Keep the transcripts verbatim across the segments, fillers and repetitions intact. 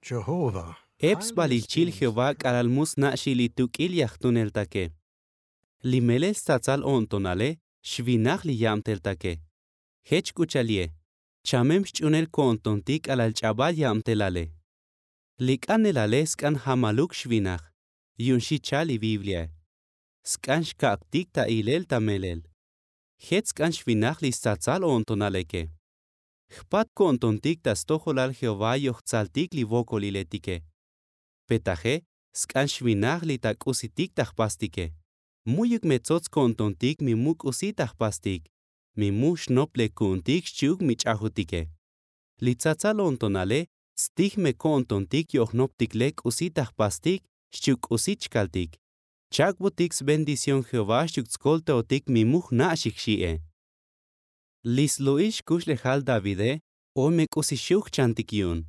Ep sbalilchil jehová k'alal mu sna' xi' li tuk'il yajtuneltake. Li melel stsatsal o'ntonale xvinaj li yabteltake. Jech k'u cha'al ye chamem xch'unel ko'ntontik k'alal ch'abal yabtelale. Li k'anelale sk'an jamaluk xvinaj yu'un xi cha'al li bibliae. Sk'an xkak'tik ta ilel ta melel. Jech sk'an xvinaj li stsatsal o'ntonaleke. Jpat ko'ntontik ta stojolal jehová yojtsaltik li vokoliletike. Pe taje sk'an xvinaj li ta k'usitik ta jpastike. Mu'yuk me tsots ko'ntontik mi mu k'usi ta jpastik, mi mu xnop lek ku'untik xchi'uk mi ch'ajutike. Li tsatsal o'ntonale stij me ko'ntontik yo'jnoptik lek k'usi ta jpastik xchi'uk k'usi chkaltik. Chak'butik sbendición jehová xchi'uk tskoltaotik mi mu jna' xi jxi'e. Li slu'ix xkuxlejal davide oy me k'usi xu' jchantik yu'un.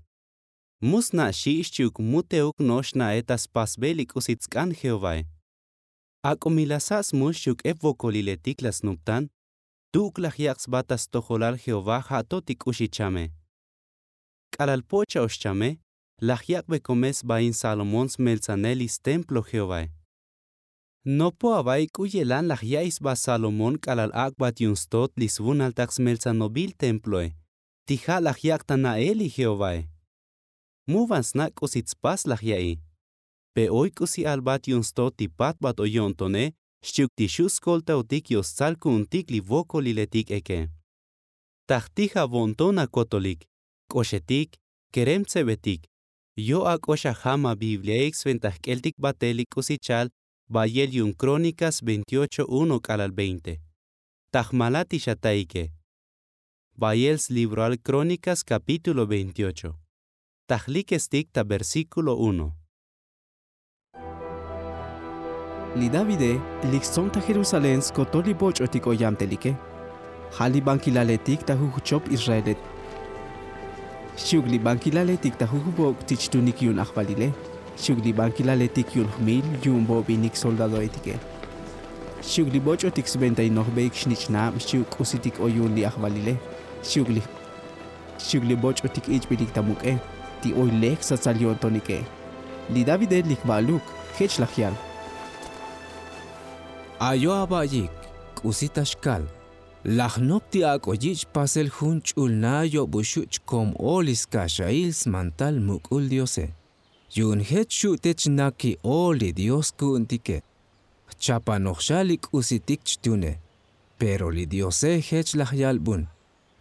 Mu sna' xi' xchi'uk mu te'uk no'ox xna'e ta spasbel li k'usi tsk'an jehovae. Ak'o mi la sa' smul xchi'uk ep vokoliletik la snuptan, tu'uk laj yak' sba ta stojolal jehová ja' to ti k'u xi chame. K'alal po'ocha ox chame laj yak'be komel sbain salomón smeltsanel li stemplo jehovae. Nopo ava'i k'u yelan laj ya'iy sba salomón k'alal ak'bat yu'un stot li svunaltak smeltsanobil temploe ti ja' laj yak' ta na'el li jehovae. Mu van sna' k'usi tspas laj ya'iy. Pe oy k'usi albat yu'un stot ti patbat oy yo'ntone xchi'uk ti xu' skoltaotik yo'stsal ku'untik li vokoliletik eke. Ta jtij avo'nton akotolik, k'oxetik, kerem tsebetik, yo' ak'ox ajam abibliaik sventa jk'eltik batel li k'usi cha'al bayel yu'un krónikas veintiocho uno k'alal veinte. Ta jmala ti xataike. Bayel slibroal krónikas kapítulo veintiocho. Ta jlikestik ta versíkulo uno. Li davide lik stsonta jerusalén skotol li boch'otik oyamtelike. Ja' li bankilaletik ta jujuchop israele. Xchi'uk li bankilaletik ta jujubok' ti chtunik yu'un ajvalile. Xchi'uk li bankilaletik yu'un jmil yu'un bobinik soldadoetike. Xchi'uk li boch'otik sventa inojbeik xnich'nab xchi'uk k'usitik oy yu'un li ajvalile. Xchi'uk li xchi'uk li boch'otik ich'bilik ta muk'e ti oy lek stsatsal yo'ntonik'e. Li davide lik ba'luk jech laj yal. Ayo aba'yik, k'usi ta xkal. Laj nop ti ak'o yich' pasel jun ch'ulna yob u xu' chkom o li skaxail smantal muk'ul diose. Yu'un jech xu' te chnaki'o li dios ku'untike. Jchapanoj xa li k'usitik chtune. Pero li diose jech laj yalbun.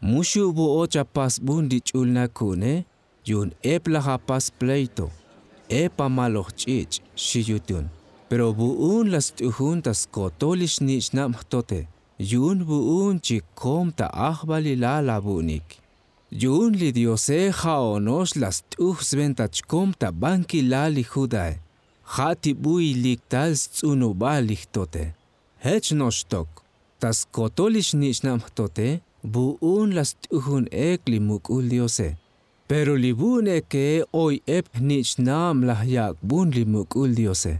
Mu xu' vo'o chapasbun li ch'ulna ku'une. Yu'un ep laj apas pleito, ep amaloj ch'ich' xi yutun. Pero vu'un la st'ujun ta skotol li xnich'nab jtote. Yu'un vu'un chik kom ta ajvalilal avu'unik. Yu'un li diose ja' ono'ox la st'uj sventa chkom ta bankilal li judae. Ja' ti bu ilik tal sts'unubal li jtote. Jech no'ox tok ta skotol li xnich'nab jtote. Vu'un la st'ujun ek li muk'ul diose. Pero li vu'un eke oy ep jnich'nab laj yak'bun li muk'ul diose.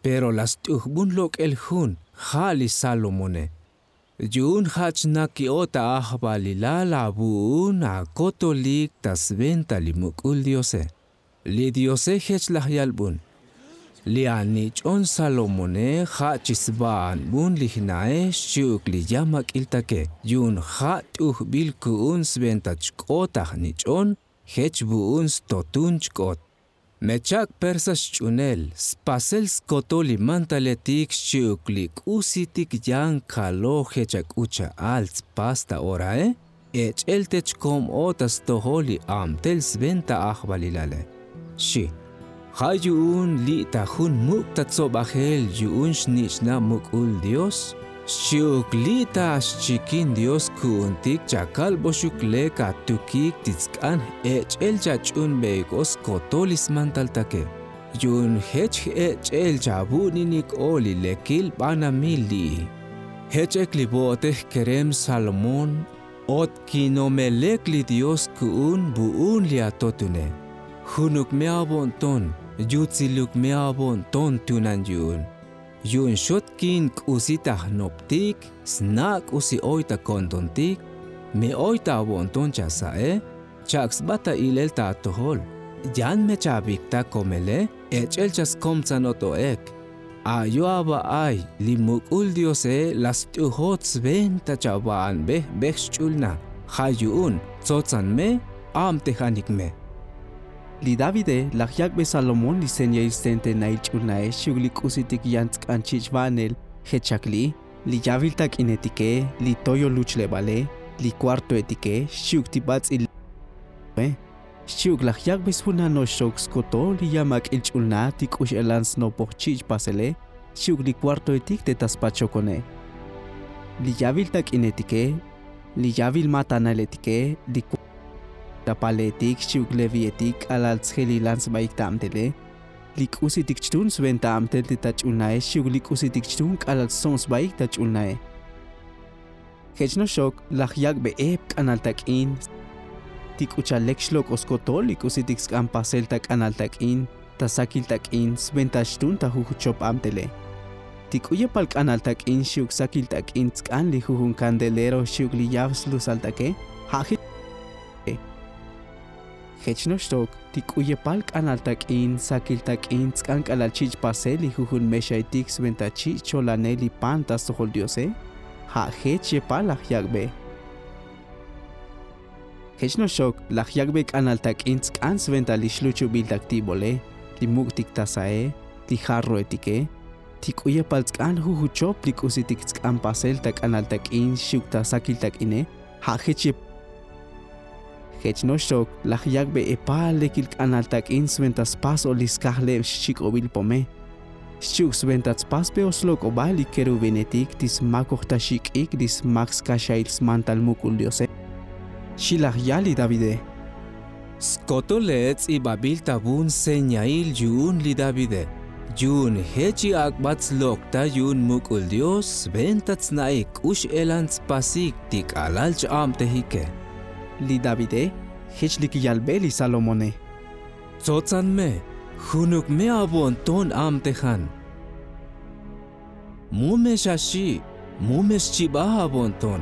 Pero la st'ujbun lok'el jun ja' li salomone. Yu'un ja' chnaki'o ta ajvalilal avu'un akotolik ta sventa li muk'ul diose. Li diose jech laj yalbun. Li anich'on salomone ja' chi sba'anbun li jna'e xchi'uk li yamak'iltake. Yu'un ja' t'ujbil ku'un sventa chk'ot ajnich'on jech vu'un stotun chk'ot. Me chak' persa xch'unel spasel skotol li mantaletik xchi'uk li k'usitik yan kaloj jech ak'u cha'al tspas ta orae. Ech'el te chkom o ta stojol li abtel sventa ajvalilale. Xi. Ja' yu'un li' ta jun muk' ta tsobajel yu'un xnich'nab muk'ul dios. Xchi'uk li' ta xchikin dios ku'untik chakalboxuk lek atukik ti tsk'an jech'el chach'unbeik o skotol li smantaltake. Yu'un jech j'ech'el chavu'ninik o li lekil banamil li'i. Jech ek li vo'otej kerem salomón. Ot kinome lek li dios ku'un vu'un li atotune. Junuk me avo'nton. Yutsiluk me avo'nton tunan yu'un. Yu'un xot kin k'usi ta jnoptik sna' k'usi oy ta ko'ntontik. Mi oy ta avo'nton chasa'e. Chak' sba ta ilel ta atojol. Yan me chavik ta komele ech'el chaskomtsanot o'ek. Ayo ava'ay li muk'ul diose la st'ujot sventa chava'anbej bej xch'ul na. Ja' yu'un tsotzan me, abtejanik me. Li davide laj yak'be salomón li señail stentenail ch'ul nae xchi'uk li k'usitik yan tsk'an chich' va'anel. Jech chak li'i, li yavil tak'inetike, li toyol luchlebale, li kuartoetike xchi'uk ti bats'il. Xchi'uk laj yak'be svunanoxok skotol li yamak'il ch'ul na ti k'u x'elan snopoj chich' pasele xchi'uk li kuartoetik te ta spachokone. Li yavil tak'inetike, li yavil matanailetike, li kuartoetik, ta paleetik xchi'uk levietik k'alal tsjelilan sbaik ta abtele. Li k'usitik chtun sventa abtel te ta ch'ul nae xchi'uk li k'usitik chtun k'alal stsob sbaik ta ch'ul nae. Jech noxok laj yak'be ep k'anal tak'in ti k'u cha'al lek xlok'o skotol li k'usitik tsk'an pasel ta k'anal tak'in, ta sakil tak'in sventa xtun ta jujuchop abtele. Ti k'u yepal k'anal tak'in xchi'uk sakil tak'in tsk'an li jujun kandelero xchi'uk li yav slusaltake. Ja' jech noxtok ti k'u yepal k'anal tak'in sakil tak'in tsk'an k'alal chich' pasel li jujun mexaitik sventa chich' cholanel li pan ta stojol diose. Ja' jech yepal laj yak'be. Jech noxok laj yak'be k'anal tak'in tsk'an sventa li xluchubil ta ktibole, li muk'tik ta sae, li jarroetike, ti k'u yepal tsk'an jujuchop li k'usitik tsk'an pasel ta k'anal tak'in xchi'uk ta sakil tak'ine. Ja' jech yep. Jech noxok laj yak'be epal lekil k'anal tak'in sventa spas o li skajleb xchik'obil pome. Xchi'uk sventa tspasbe o slok'oba li kerubinetik ti smakoj ta xik'ik li smak skaxail smantal muk'ul diose. Xi laj yal li davide. Skotole ts'ibabil ta vun señail yu'un li davide, yu'un jech i ak'bat slok' ta yu'un muk'ul dios sventa tsna'ik k'u x'elan tspasik ti k'alal ch-abtejike. Li davide jech lik yalbe li salomone. Tsotzan me, junuk me avo'nton abtejan. Mu me xaxi', mu me xchibaj avo'nton.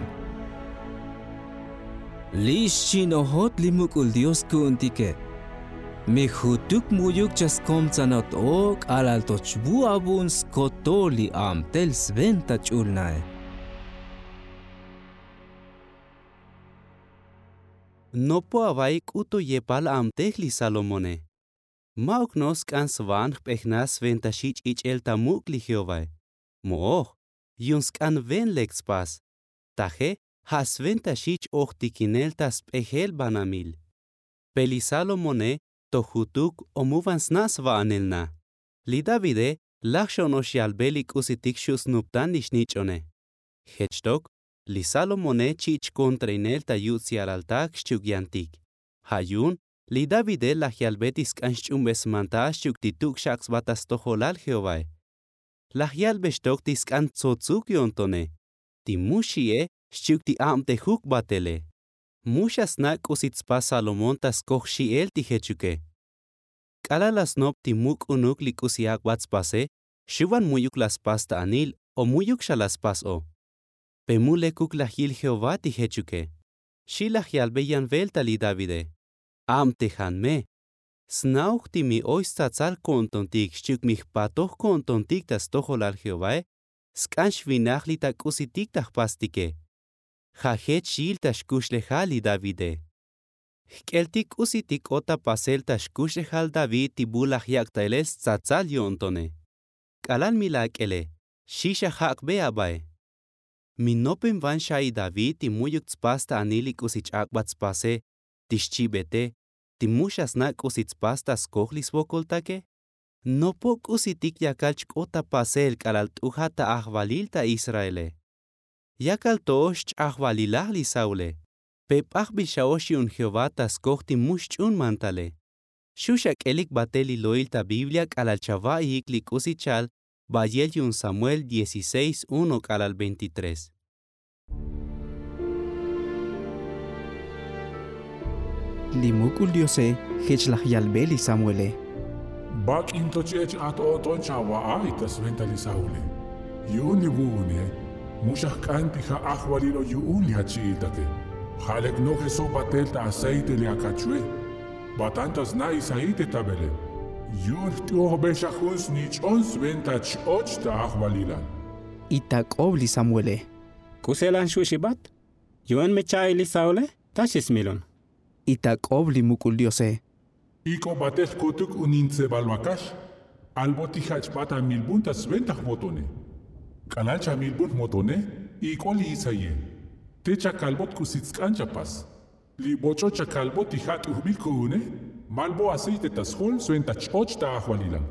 Li' xchi'nojot li muk'ul dios ku'untike. Mi jutuk mu'yuk chaskomtsanot o k'alal to chvu avu'un skotol li abtel sventa ch'ul nae. Nopo ava'i k'uto yepal abtej li salomone. Ma'uk no sk'an sva'an jp'ejnaj sventa xi ch'ich'el ta muk' li jehovae. Mo'oj yu'un sk'an ven lek tspas. Taje ja' sventa xi ch-ojtikinel ta sp'ejel banamil. Pe li salomone to jutuk o mu van sna' sva'anel na. Li davide laj xo'ono'ox yalbe li k'usitik xu' snuptan li xnich'one. Jech tok li salomone chi' chkontrainel ta yutz ya'laltak xchi'uk yantik. Ja' yu'un li davide laj yalbe ti sk'an xch'unbe smantal xchi'uk ti tuk' xak' sba ta stojolal jehovae. Laj yalbe xtok ti sk'an tsotsuk yo'ntone, ti mu xi'e xchi'uk ti abtejuk batele. Mu xa sna' k'usi tspas salomón ta skoj xi'el ti jechuke. K'alal la snop ti muk' k'unuk li k'usi ak'bat spase, xu van mu'yuk la spas ta anil o mu'yuk xa la spas o. Pe mu lekuk laj yil jehová ti jechuke. Xi laj yalbe yan velta li davide. Abtejan me. Sna'oj ti mi oy stsatsal ko'ntontik xchi'uk mi jpatoj ko'ntontik ta stojolal jehovae. Sk'an xvinaj li ta k'usitik ta jpastike. Ja' jech xyil ta xkuxlejal li davide. Jk'eltik k'usitik k'ot ta pasel ta xkuxlejal david ti bu laj yak' ta elel stsatsal yo'ntone. K'alal mi la ak'ele xi xa jak'be abae. Mi nopen van xa'i david ti mu'yuk tspas ta anil li k'usi ch-ak'bat spase ti xchibete ti mu xa sna' k'usi tspas ta skoj li svokoltake? Nopo k'usitik yakal chk'ot ta pasel k'alal t'ujat ta ajvalil ta israele. Yakal to'ox ch-ajvalilaj li saule. Pe p'ajbil xa'ox yu'un jehová ta skoj ti mu xch'un mantale. Xu xak'elik batel li lo'il ta biblia k'alal chava'iik li k'usi chal. Bayel yu'un samuel dieciséis uno k'alal veintitrés. Li muk'ul diose jech laj yalbe li samuele. Bak'in to ch'ech' at o'ton chava'a y ta sventa li saule. Yu'un li vu'une mu xa jk'an ti ja' ajvalil o yu'un li achi'iltake. Ja' lek nojeso batel ta aceite li akachue. Batan ta sna' isaí te ta belén. Yu'un jt'ujbe xa jun snich'on sventa ch-och ta ajvalilal. Y ta k'ob li samuelé. K'uselan xu' xibat? Yu'un me cha'i li saulé ta xismilun. Y ta k'ob li muk'ul diosé. Ik'o batel jkutuk unin tsebal vakax. Albot ti ja' chbat amilbun ta sventa jmotone. K'alal chamilbun jmotone, ik'o li isaíe. Te chakalbot k'usi tsk'an chapas. Li boch'o chakalbot ti ja' t'ujbil ku'une. Malbo aceite ta sjol sventa ch-och ta ajvalilal.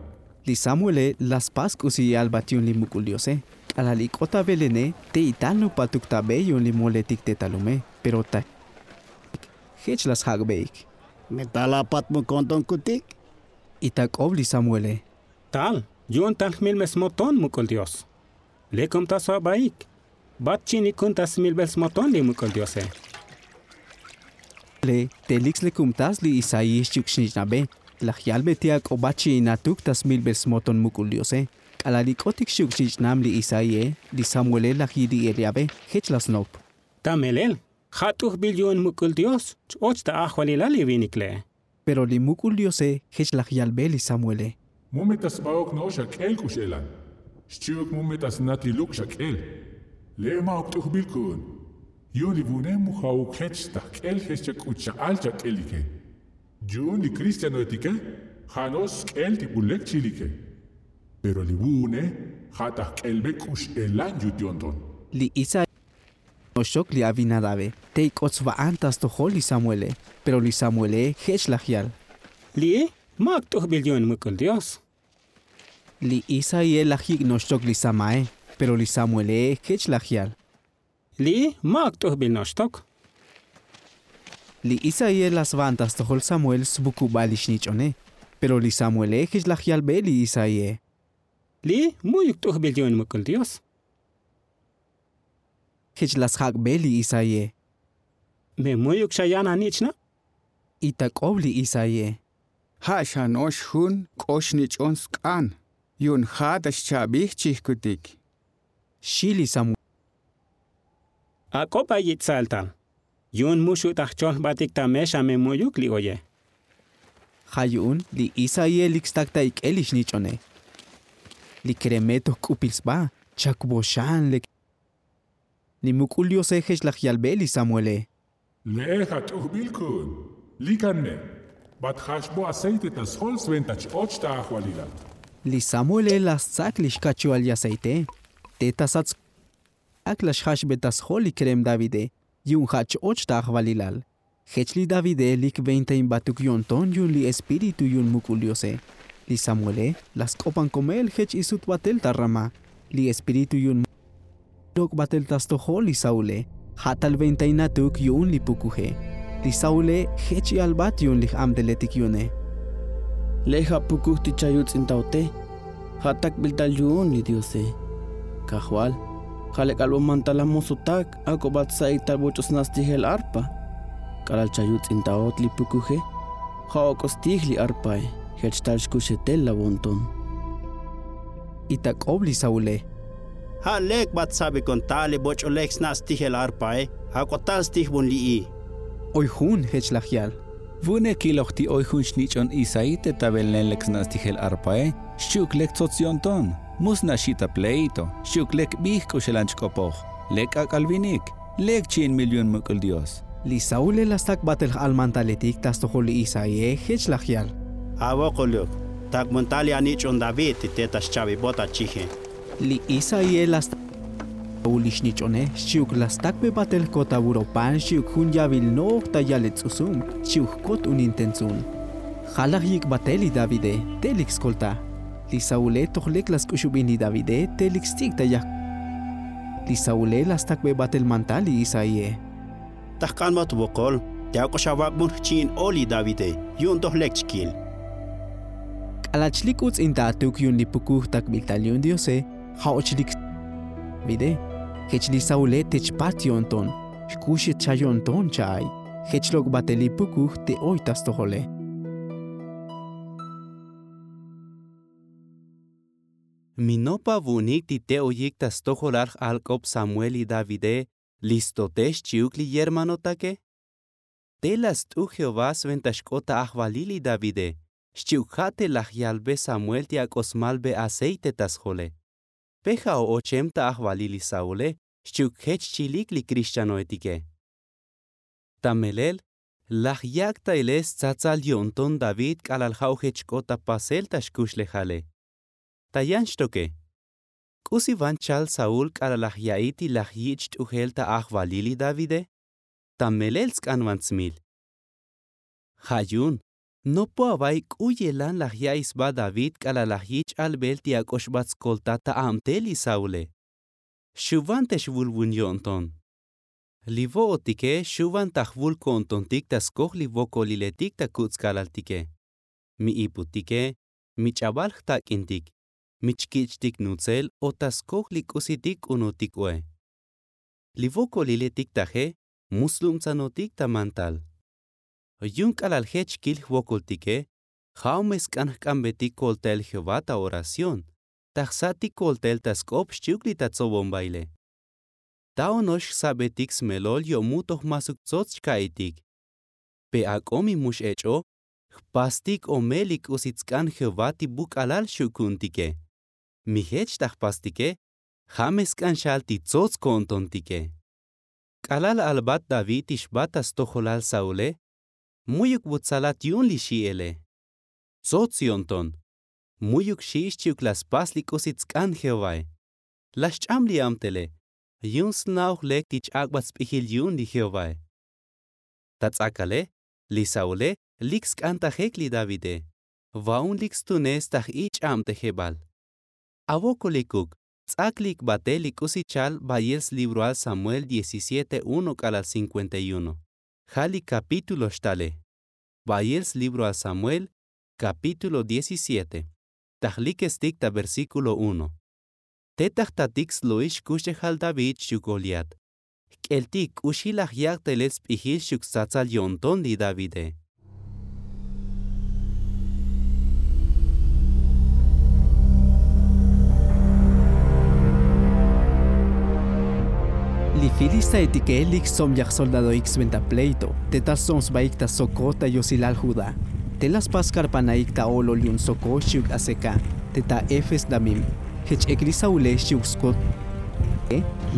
Li samuelé la spas k'usi i'albat yu'un li muk'ul diosé. K'alal ik'ot ta belené, te ital nupatuk ta be yu'un li moletik te ta lume. Pero ta jech la sjak'beik. Me tal apat mukon ton kutik? Y ta k'ob li samuelé. Tal yu'un tal jmilbe smoton muk'ul dios. Lekom ta svabaik. Bat chi'in ikun ta smilbel smoton li muk'ul diosé. Le te lik slekumtas li isaí xchi'uk xnich'nabe. Laj yalbe ti ak'o bat chi'in atuk ta smilbel smoton muk'ul diosé. K'alal ik'otik xchi'uk xnich'nam li isaíe, li samuelé laj yili'el ya'be. Jech la snop. Ta melel ja' t'ujbil yu'un muk'ul dios ch-och ta ajvalilal li vinik le'e. Pero li muk'ul diosé jech laj yalbe li samuelé. Mu me ta sbaok no'ox ak'el k'u x'elan. Xchi'uk mu me ta snatiluk xak'el. Le'e ma'uk t'ujbil ku'un. Yu'un li vu'une mu ja'uk jech ta jk'el jech chak'u cha'al chak'elike. Yu'un li kristianoetike ja' no'ox sk'el ti bu lek chilike. Pero li vu'une ja' ta jk'elbe k'u x'elan yut yo'nton. Li isaí noxtok li abinadabe. Te ik'ot sva'an ta stojol li samuelé. Pero li samuelé jech laj yal. Li'i ma'uk t'ujbil yu'un muk'ul dios. Li isaíe laj yik' noxtok li samaé. Pero li samuelé jech laj yal. Li'i ma'uk t'ujbil noxtok. Li isaíe la sva'an ta stojol samuel svukubal li xnich'one. Pero li samuelé jech laj yalbe li isaíe. Li'i mu'yuk t'ujbil yu'un muk'ul dios. Jech la sjak'be li isaíe. Me mu'yuk xa yan anich'na'? Y ta k'ob li isaíe. Ja' xa no'ox jun k'o xnich'on sk'an. Yu'un ja' ta xcha'bij chijkutik. Xi li samuel. Ak'o ba yich' sa'el tal. Yu'un mu xu' ta jchol jbatik ta me xa me mu'yuk li oye. Ja' yu'un li isaíe lik stak ta ik'el li xnich'one. Li kereme toj k'upil sba. Chakbo xan lek. Li muk'ul diosé jech laj yalbe li samuelé. Le'e ja' t'ujbil ku'un. Likan me. Bat jaxbo aceite ta sjol sventa ch-och ta ajvalilal. Li samuelé la stsak li xkachual li aceité. Te ta sats ak la xjaxbe ta sjol li kerem davide. Yu'un ja' ch-och ta ajvalilal. Jech li davide lik ventain batuk yo'nton yu'un li espíritu yu'un muk'ul diosé. Li samuelé la sk'opan komel jech isut batel ta ramá. Li espíritu yu'un lok' batel ta stojol li saulé. Ja' tal ventain atuk yu'un li pukuje. Li saulé jech i'albat yu'un li j'amteletik yu'une. Le'e ja' pukuj ti chayuts'intaote. Ja' takbil tal yu'un li diose. Kajval, ja' lek albo mantal amosotak ak'o bat sa'ik tal boch'o sna' stijel arpa. K'alal chayuts'intaot li pukuje. Ja' ok'o stij li arpae. Jech tal xkuxetel lavonton. Y ta k'ob li saulé. Ja' lek bat sabikon tal li boch'o lek sna' stijel arpae. Ak'o tal stijbon li'i. Oy jun jech laj yal. Vu'une kiloj ti oy jun xnich'on isaí te ta belén lek sna' stijel arpae. Xchi'uk lek tsots yo'nton. Mu sna' xi' ta pleito. Xchi'uk lek bij k'u xelan chk'opoj. Lek k'ak'al vinik. Lek chi'inbil yu'un muk'ul dios. Li saulé la stak batel j'almantaletik ta stojol li isaíe jech laj yal. Avokol uk. Takbon tal li anich'on david ti te ta xcha'bibot achije. Li isaíe la stak saul li xnich'one xchi'uk la stakbe batel jkot avuropan xchi'uk jun yavil noj ta yalel ts'usum xchi'uk jkot unin tentsun. Ja' laj yik' batel li davide. Te lik skolta. Li saulé toj lek la sk'uxubin li davide te lik sts'ik ta yaj. Li saulé la stakbe batel mantal li isaíe. Ta jk'anbat vokol. Te ak'o xavak'bon jchi'in o li davide. Yu'un toj lek chkil. K'alal chlik uts'inta atuk yu'un li pukuj takbil tal yu'un diose. Ja' och lik davide. Jech li saulé te chpat yo'nton. Xkuxet xa yo'nton cha'ay. Jech lok' batel li pukuj te oy ta stojole. Mi nopa vu'unik ti te oyik ta stojolal j'alk'ob samuel li davide. Li stote xchi'uk li yermanotake. Te la st'u jehová sventa xk'ot ta ajvalil li davide, xchi'uk ja' te laj yalbe samuel ti ak'o smalbe aceite ta sjole. Pe ja' o ochem ta ajvalil li saule, xchi'uk jech chilik li krixchanoetike. Ta melel laj yak' ta ilel stsatsal yo'nton david k'alal ja' ojech xk'ot ta pasel ta xkuxlejale. Ta yan xtoke, k'usi van chal saul k'alal laj ya'i ti laj yich' t'ujel ta ajvalil li davide? Ta melel sk'an van tsmil. Ja' yu'un nopo ava'i k'u yelan laj ya'i sba david k'alal laj yich' albel ti ak'o xbat skoltat ta abtel li saule. Xu' van te xvulvun yo'nton. Li vo'otike xu' van ta jvul ko'ntontik ta skoj li vokoliletik ta kuts' kalaltike, mi iputike, mi ch'abal jtak'intik, mi chkich'tik nutzel o ta skoj li k'usitik k'unutik oe. Li vokoliletik taje mu slubtsanotik ta mantal. Yu'un k'alal jech kil jvokoltike, ja' o me sk'an jk'ambetik koltael jehová ta oración, ta jsa'tik koltael ta sk'op xchi'uk li ta tsobombaile. Ta ono'ox jsa'betik smelol yo'muk toj masuk tsots chka'itik. Pe ak'o mi mu x'ech'o, jpastik o me li k'usi tsk'an jehová ti buk'alal xu' ku'untike. Mi jech ta jpastike, ja' me sk'an xal ti tsots ko'ntontike. K'alal albat david ti xbat ta stojolal saule, mu'yuk vut tsalat yu'un li xi'ele. Tsots yo'nton, mu'yuk xi' xchi'uk la spas li k'usi tsk'an jehovae. La xch'am li abtele, yu'un sna'oj lek ti ch-ak'bat sp'ijil yu'un li jehovae. Ta ts'akale, li saule lik sk'an ta jek li davide, va'un lik stune sta j-ich'ab te jebal. Avokolikuk ts'ak lik batel li k'usi chal bayel slibroal samuel diecisiete uno k'alal cinkuenta y uno. Ja' li kapítulo xtale. Bayel slibroal samuel, kapítulo diecisiete, ta jlikestik ta versíkulo uno. Te ta jtatik slo'il xkuxlejal david xchi'uk goliat, jk'eltik k'u xi laj yak' ta ilel sp'ijil xchi'uk stsatsal yo'nton li davide. Li filistaetike lik stsob yaj soldadoik sventa pleito te ta stsob sbaik ta sokot ta yosilal judá. Te la spas karpanaik ta o'lol yu'un sokot xchi'uk aseka, te ta efes damim. Jech ek li saule xchi'uk skot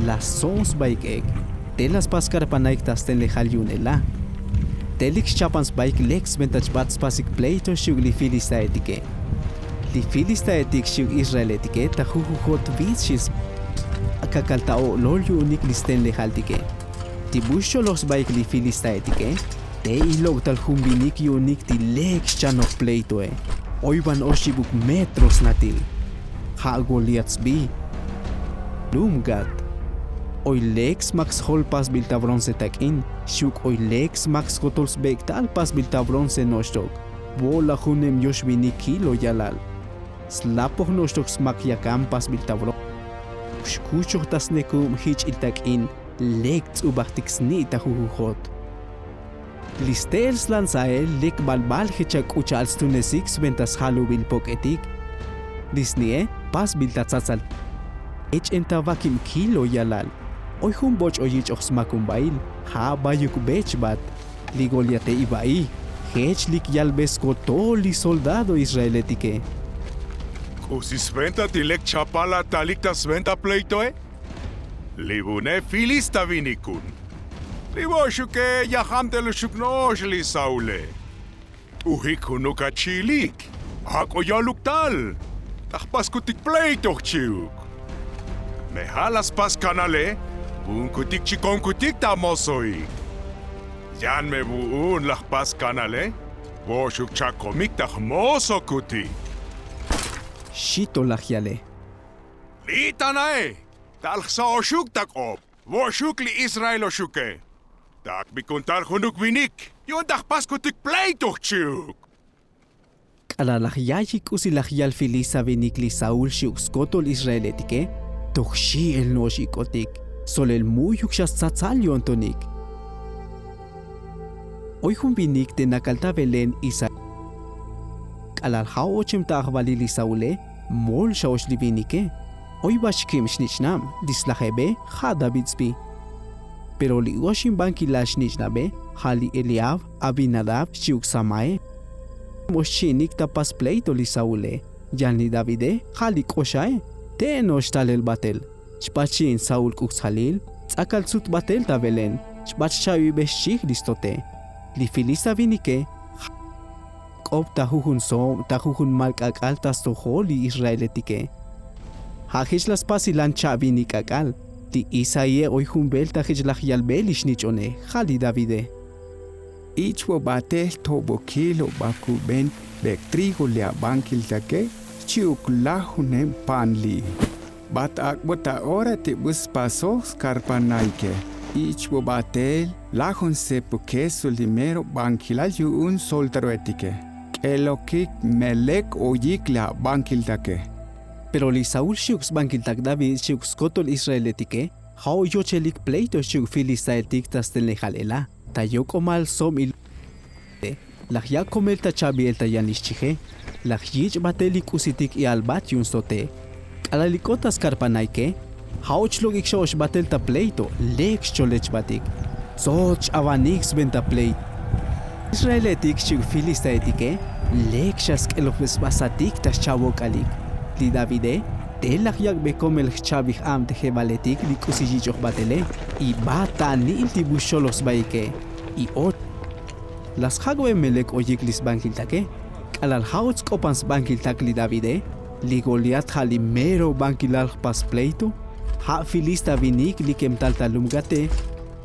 la stsob sbaik ek. Te la spas karpanaik ta stenlejal yu'un ela. Te lik xchapan sbaik lek sventa chbat spasik pleito xchi'uk li filistaetike. Li filistaetik xchi'uk israeletike ta jujujot vits xi sba. Akakal ta o'lol yu'unik li stenlejaltike. Ti bu xcholoj sbaik li filistaetike, te ilok'tal jun vinik yu'unik ti lek xchanoj pleitoe. Oy van oxibuk metro snatil. Ja' goliat sbi. Lum gat. Oy lek smak sjol pasbil ta bronce tak'in, xchi'uk oy lek smak skotol sbek'tal pasbil ta bronce no'oxtok. Vo' laj junem yox vinik kilo yalal. Slapoj no'oxtok smak yakan pasbil ta bronce. Xkuxoj ta snekub jich'il tak'in. Lek ts'ubajtik sni' ta jujujot. Li ste'el slanzael lek balbal jech ak'u cha'al stunesik sventa sjalubil pok'etik. Li sni'e pasbil ta tsatsal. Ech'en ta vakib kilo yalal. Oy jun boch' oy yich'oj smakumbail. Ja' bayuk be chbat. Li goliate iva'i, jech lik yalbe skotol li soldado israeletike. K'usi sventa ti lek chapal atalik ta sventa pleitoe? Li vune filista vinikun. Li vo'oxuke yajamteloxuk no'ox li saule. T'ujik junuk achi'ilik. Ak'o ya'luk tal. Ta jpaskutik pleito jchi'uk. Me ja' la spas kanale. Vu'unkutik chikonkutik ta mosoik. Yan me vu'un la jpas kanale. Vo'oxuk chakomik ta jmosokutik. Xi to laj yale. Li' ta na'e. Tal jsa'oxuk ta k'op. Vo'oxuk li israeloxuke. Takbikun tal junuk vinik yu'un ta jpaskutik pleito jchi'uk. K'alal laj ya'yik k'usi laj yal filista vinik li saul xchi'uk skotol israeletike, toj xi'el no'ox ik'otik. Solel mu'yuk xa stsatsal yo'ntonik. Oy jun vinik te nakal ta belén isa. K'alal ja' ochem ta ajvalil li saule, mol xa och li vinike. Oy vach kib xnich'nab. Li slajebe ja' david sbi. Pero li oxinbankilal xnich'nabe Ja' li eliab, abinadab xchi'uk samae. Mo xchi'inik ta pas pleito li saule. Yan li davide ja' li k'oxae. Te' no'ox talel batel. Xb'at xchi'in saul k'uk sjalil. Tz'akal tzut batel ta belén. Xb'at xcha'bibej xchij li stote. Li filista vinike ja' k'op ta jujun sob ta jujun mal k'ak'al ta stojol li israeletike. Ja' jech laj spasilan cha'binik k'ak'al. Li isaíe oy jun bel ta jech laj yalbe li xnich'one ja' li davide. Ich vo batel tobokil o bakuben bek trigo li abankiltake xchi'uk lajuneb pan li. Bat ak'bo ta ora ti bu spasoj skarpanaike. Ich vo batel lajun sepo keso li mero bankilal yu'un soltaroetike. K'elokik melek oyik li abankiltake. Pero li saul xchi'uk sbankiltak david xchi'uk skotol israeletike. Ja' o yochelik pleito xchi'uk filistaeltik ta stenlejal ela. Ta yok'omal sob il. Laj ya' komel ta cha'biel ta yan li xchije. Laj yich' batel li k'usitik i'albat yu'un stote. K'alal li k'ot ta skarpanaike. Ja' och lok'ik xa och batel ta pleito. Lek xcholechbatik. Tzot x'avanik sventa pleito. Israeletik xchi'uk filistaetike. Lek xa sk'eloj sba satik ta xcha'bok'alik. Li davide te laj yak'be komel jcha'bij ab te jebaletik li k'usi yich'oj batele. Ibat ta anil ti bu xcholoj sbaike. I och. Laj sjak'be melek oyik li sbankiltake. K'alal ja' och sk'opan sbankiltak li davide. Li goliat ja' li mero bankilal jpas pleito. Ja' filista vinik li kemtal ta lum gate.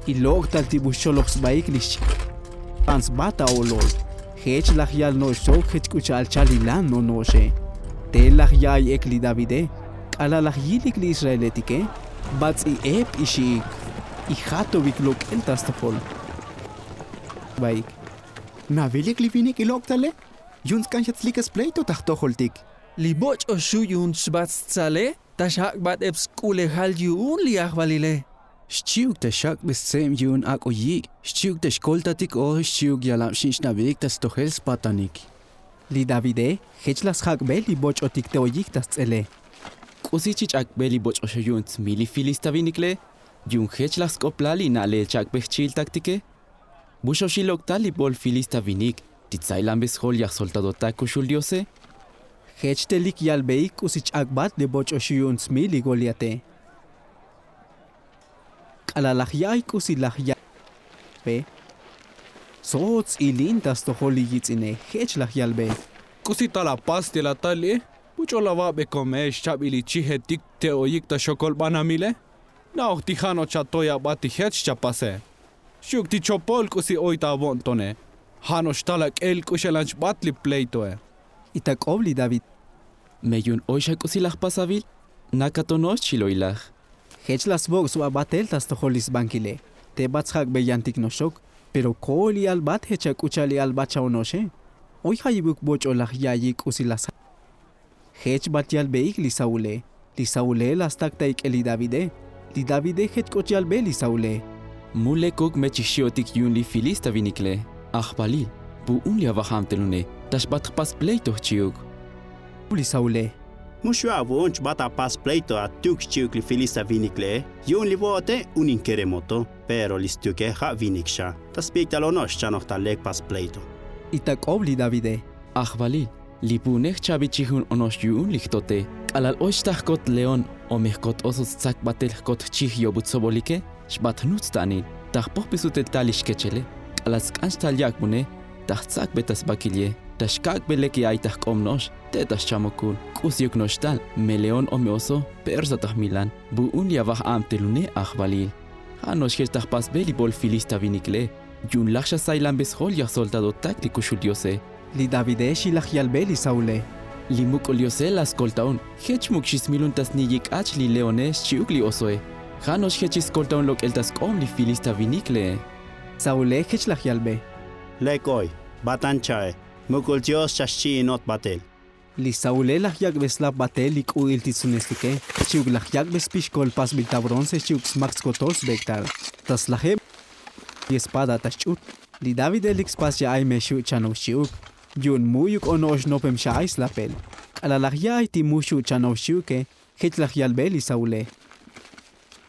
Ilok' tal ti bu xcholoj sbaik li xchi. Pan sba ta olol. Jech laj yal no'ox sok jech k'u cha'al chalilan no'no'oxe. Te laj ya'ay ek li davide. K'alal laj yilik li israeletike. Bats'i ep ixi'ik. Ijatobik lok'el ta stojol. Baik. Navilik li vinik ilok' tale. Yu'un sk'an xa tslikes pleito ta jtojoltik. Li boch'o xu' yu'un xbat stsale. Ta xjak'bat ep sk'ulejal yu'un li ajvalile. Xchi'uk ta xak'be stseb yu'un ak'o yik'. Xchi'uk ta xkoltatik o xchi'uk yalab xin xnabik ta stojel spatanik. Li davide jech laj sjak'be li boch'otik te oyik ta sts'ele. K'usi chi ch'akbe li boch'o xu' yu'un tsmil li filista vinikle. Yu'un jech laj sk'oplal li na'lel chak'be jchi'iltaktike. Bu xoxilok tal li bol filista vinik ti tsailanbe sjol yaj soltadotak kuxul diose. Jech telik yalbeik k'usi ch'akbat li boch'o xu' yu'un smil li goliate. K'alal laj ya'ay k'usi laj ya'ay. Sotz ilin ta stojol li yitz'ine jech laj yalbe. K'usi tal apas ti la tal li. Bu ch'ol ava'be kome xchabil li chijetik te oyik ta xokol banamile. Na'oj ti ja' no'ox chatoy abat ti jech xchapase. Xchi'uk ti chopol k'usi oy ta avo'ntone. Ja' no'ox tal ak'el k'u xelan xbat li pleitoe. Itak'ob li david. Me yu'un oy xa k'usi laj pasavil. Nakatono'ox chiloy laj. Jech laj svok' sba batel ta stojol li sbankile. Te bat sjak'be yantik no'ox xok. Pero ko'ol i'albat jech ak'u cha'al i'albat xa ono'oxe. Oy jayibuk boch'o laj ya'yik k'usi laj sja'. Jech bat yalbeik li saule. Li saule laj stak ta ik'el li davide. Li davide jech k'ot yalbe li saule. Mu lekuk me chixchi'otik yu'un li filista vinikle. Ajvalil, bu'un li avaja'antelune ta xbat jpas pleito jchi'uk. Li saule. Mu xu' avu'un chbat apas pleito atuk xchi'uk li filista vinikle. Yu'un li vo'ote unin keremoto. Pero li stuke ja' vinik xa ta spik'tal ono'ox xchanoj ta lek pas pleito. Itak'ob li davide. Ajvalil, li bu'une jchabi chijun ono'ox yu'un li jtote. K'alal oy xta jkot león o me jkot oso stsak batel jkot jchij yobu tsobolike. Xbat jnujts ta anil ta jpojbe sutel tal li xkechele. K'alal sk'an xtal yak'bune ta jtsakbe ta sbakilye. Ta xkak'be lek ya'ay ta jk'om no'ox te' ta xchamokul. K'usiuk no'ox tal me león o me oso. Persa ta jmilan bu'un li avaja'antelune ajvalil. Ja' no'ox jech ta jpasbe li bol filista vinikle. Yu'un laj xa sailanbe sjol yaj soltadotak li kuxul diose. Li davide xi laj yalbe li saule. Li muk'ul diose laj skoltaon. Jech muk' xismilun ta sni'yik k'ach li leone xchi'uk li osoe. Ja' no'ox jech xiskoltaon lok'el ta sk'ob li filista viniklee. Saule jech laj yalbe. Lek oy, batan cha'e. Muk'ul dios xa xchi'inot batel. Li saule laj yak'be slap batel li k'u'il ti tsunestike. Xchi'uk laj yak'be spixkol pasbil ta bronce xchi'uk smak skotol sbek'tal. Ta slajeb li espada ta xch'ut. Li davide lik spas ya'ay me xu' chanoj xchi'uk. Yu'un mu'yuk ono'ox nopem xa'ay slapel. K'alal laj ya'ay ti mu xu' chanoj xchi'uke. Jech laj yalbe li saule.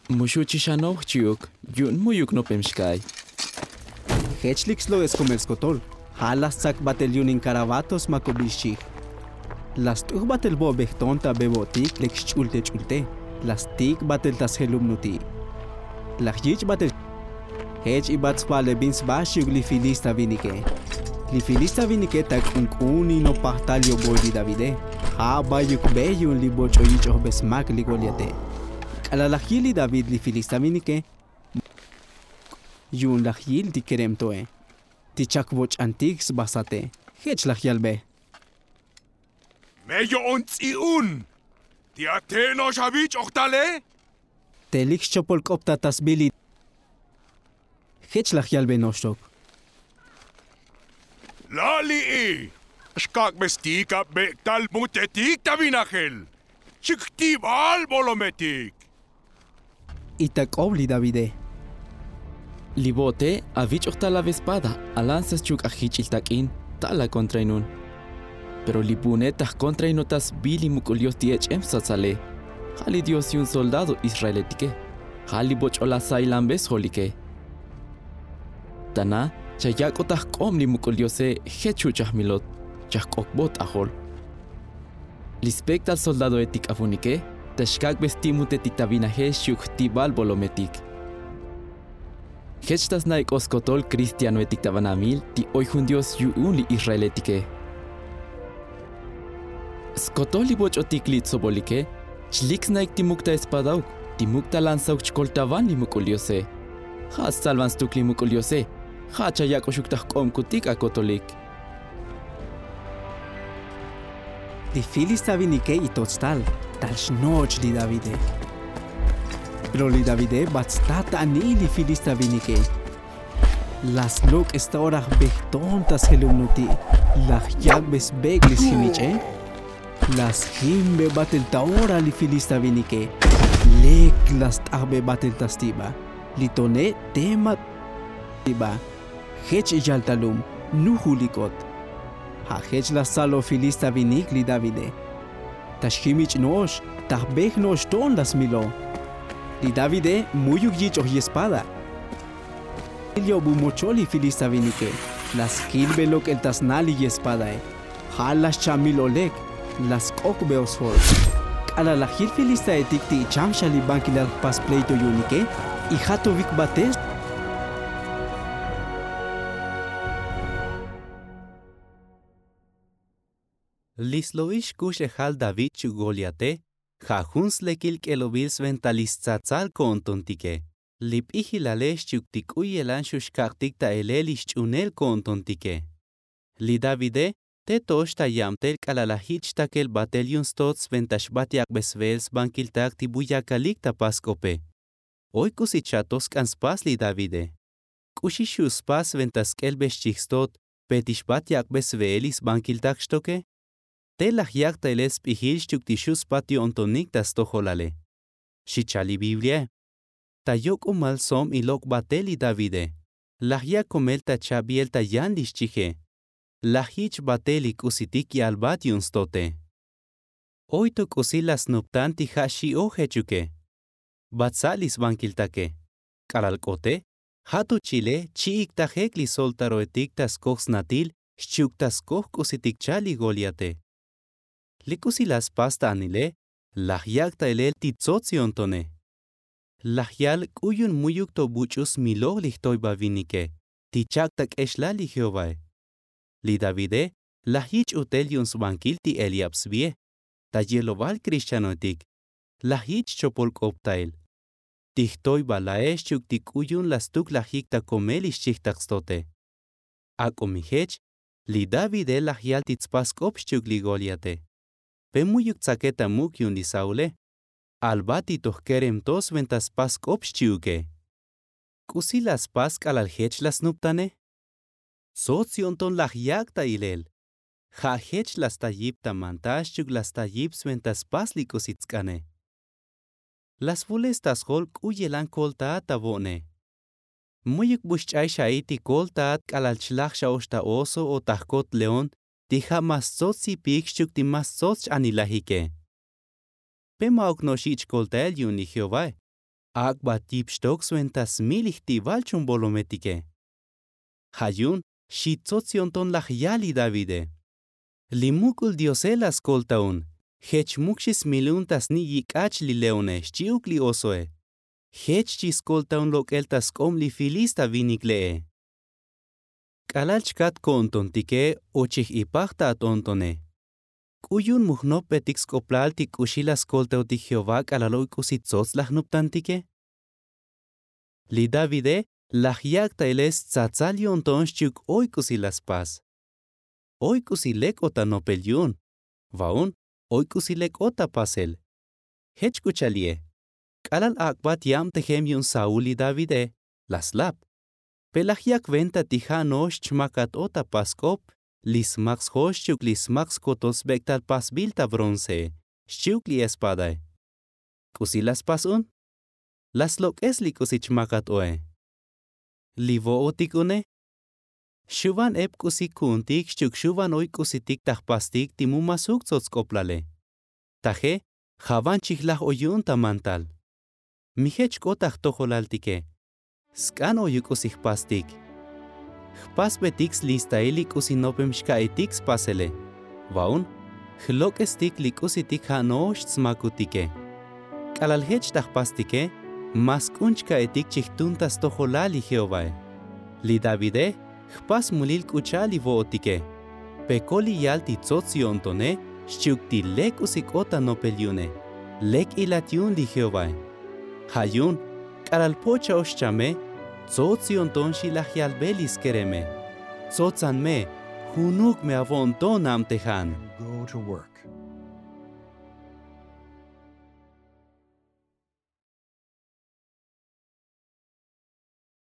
Mu xu' chixanoj xchi'uk. Yu'un mu'yuk nopem xka'ay. Jech lik slo'es komel skotol. Ja' la stsakbatel yu'un in karabatos ma kobil xchij. La st'ujbatel bo' bejton ta bebo'tik lek xch'ulte ch'ulte. La stik'batel ta sjelubnuti'. La jyich'batel. Jech ibat sba le bin sba xchi'uk li filista vinike. Li filista vinike ta k'unk'un in nopaj tal yoboy li davide. Ja' bayuk be yu'un li boch'o yich'ojbe smak li goliate. K'alal la jyil li david li filista vinike, yu'un la jyil ti kerem to'e, ti chak boch'antik sba sate. Jech la jyalbe. Me yo'on ts'i'un. Ti ate no'ox avich'oj tale. Te lik xchopol k'op ta ta sbili. Jech la jyalbe no'ox tok. Lali'i. Xkak'be stik abek'tal mutetik ta vinajel. Chik jtibal bolometik. Itak'ob li davide. Li bo'te avich'oj tal avespada. Alanza xchuk' ajjich'il tak'in. Tal akontrainun. Pero li bu'une ta jkontrainot ta sbi li muk'ul dios ti ech'em satsale. Ja' li dios yu'un soldado israeletike. Ja' li boch'o la sailanbe sjolike. Ta na chayak'ot ta jk'ob li muk'ul diose. Jech xu' chajmilot. Chajk'okbot ajol. Li spek'tal soldadoetik avunike ta xkak'be sti' mutetik ta vinajel xchi'uk jtibal bolometik. Jech ta sna' ek'o skotol kristianoetik ta banamil ti oy jun dios yu'un li israeletike. Skotol li boch'otik li tsobolike. Chlik sna'ik ti muk ta espadauk, ti muk ta lanzauk chkoltavan li muk'ul diose. Ja' stsalvan stuk li muk'ul diose. Ja' chayak'oxuk ta jk'obkutik akotolik. Li filista vinike itoch tal, tal xnoch li davide. Pero li davide bat stat aniy li filista vinike. La slok'es ta ora jbejton ta sjelubnuti'. La jyak'be sbek' li sjimich'e. La sjimbe batel ta ora li filista vinike. Lek la st'ajbe batel ta stiba. Li tone' tema stiba. Jech iyal ta lum nujulikot. Ja' jech la stsalo filista vinik li davide. Ta xjimich' no'ox ta jbej no'ox to'on la smilo. Li davide mu'yuk yich'oj yespada. Ilyobu mochol li filista vinike. La skilbe lok'el ta sna li yespadae. Ja' la xchamil olek. La sk'okbe osjol. K'alal la jil filistaetik ti icham xa li bankilal jpas pleito yu'unike. Ijatovik batel. Li slo'ix kuxlejal david xchi'uk goliate. Ja' jun slekil k'elobil sventa li stsatsal ko'ontontike. Li p'ijilale xchi'uk ti k'u yelan xu' xkak'tik ta elel li xch'unel ko'ontontike. Li davide te to'ox ta yabtel k'alal la jich' xtakel batel yu'un stot sventa xbat yak'be sveel sbankiltak ti bu yakalik ta pas k'ope. Oy k'usi cha'to sk'an spas li davide. K'uxi xu' spas sventa sk'elbe xchij stot pe ti xbat yak'be sveel li sbankiltak xtoke. Te laj yak' ta ilel sp'ijil xchi'uk ti xu' spat yo'ntonik ta stojolale. Xi chal li bibliae. Ta yok'umal som ilok' batel li davide. Laj yak' komel ta chabiel ta yan li xchije. Laj yich' batel li k'usitik yalbat yu'un stote. Oy to k'usi la snuptan ti ja' xi'oj jechuke. Bat sa' li sbankiltake. K'alal k'ote ja' to chile chi'ik tajek li soltaroetik ta skoj snatil xchi'uk ta skoj k'usitik chal li goliate. Li k'usi la spas ta anile laj yak' ta ilel ti tsots yo'ntone. Laj yal k'u yu'un mu'yuk to buch'u smiloj li jtoybavinike ti chak' ta k'exlal li jehovae. Li davide laj yich' utel yu'un sbankil ti eliab svie. Ta yeloval kristianoetik laj yich' chopol k'op ta el. Ti jtoybalae xchi'uk ti k'u yu'un la stuk laj yik' ta komel li xchijtaq stote. Ak'o mi jech li davide laj yal ti tspas k'op xchi'uk li goliate. Pe mu'yuk tsake ta muk' yu'un li saule. Albat ti to jkerem to sventa spas k'op xchi'uke. K'usi la spas k'alal jech la snuptane. Tsots yo'nton laj yak' ta ilel. Ja' jech la sta yip ta manta xchi'uk la sta yip sventa spas li k'usi tsk'ane. La svules ta sjol k'u yelan koltaat ta vo'ne. Mu'yuk bu xch'ay xa'i ti koltaat k'alal chlaj xa ox ta oso o ta jkot león ti ja' ma stsots yipik xchi'uk ti ma stsots ch-anilajike. Pe ma'uk no'ox yich' koltael yu'un li jehovae. Ak'bat yip xtok sventa smil li jti'bal chun bolometike. Ja' yu'un xi tsots yo'nton laj yal li davide. Li muk'ul diose la skolta un. Jech muk xi smil un ta sni' yik'ach li leone xchi'uk li osoe. Jech chi skolta un lok'el ta sk'ob li filista vinik le'e. K'alal chkat ko'ntontike o chij ipaj ta at-o'ntone. K'u yu'un mu jnopbetik sk'oplal ti k'uxi la skoltaotik jehová k'alal oy k'usi tsots la jnoptantike? Li davide laj yak' ta ilel stsatsal yo'nton xchi'uk oy k'usi la spas. Oy k'usi lek o ta nopel yu'un. Va'un oy k'usi lek o ta pasel. Jech k'u cha'al ye. K'alal ak'bat yabtejem yu'un saúl li davide la slap. Pe laj yak venta ti ja' no'ox chmakat o ta pas sk'op li smak sjo xchi'uk li smak skotol sbek'tal pasbil ta bronce xchi'uk li espadae. K'usi la spas un? La slok'es li k'usi chmakat oe. Li vo'otik une. Xuvan ep k'usi ku'untik xchi'uk xuvan oy k'usitik ta jpastik ti mu masuk tsots sk'oplale. Taje javan chijlaj oy yu'un ta mantal. Mi jech k'ot ta jtojolaltike. Sk'an oy u k'usi jpastik. Jpasbetik slistail li k'usi nopem xka'itik spasele. Va'un jlok'estik li k'usitik ja' no'ox tsmakutike. K'alal jech ta jpastike ma sk'un chka'itik chi jtun ta stojolal li jehovae. Li davide jpas mulil k'u cha'al li vo'otike. Pe kol li yal ti tsots yo'ntone xchi'uk ti lek k'usi k'ot ta nopel yu'une. Lek ilat yu'un li jehovae. Ja' yu'un k'alal po'cha'ox chame tsots yo'nton xi laj yalbe li skereme. Tsotsan me junuk me avo'nton nabtejan. Go to work.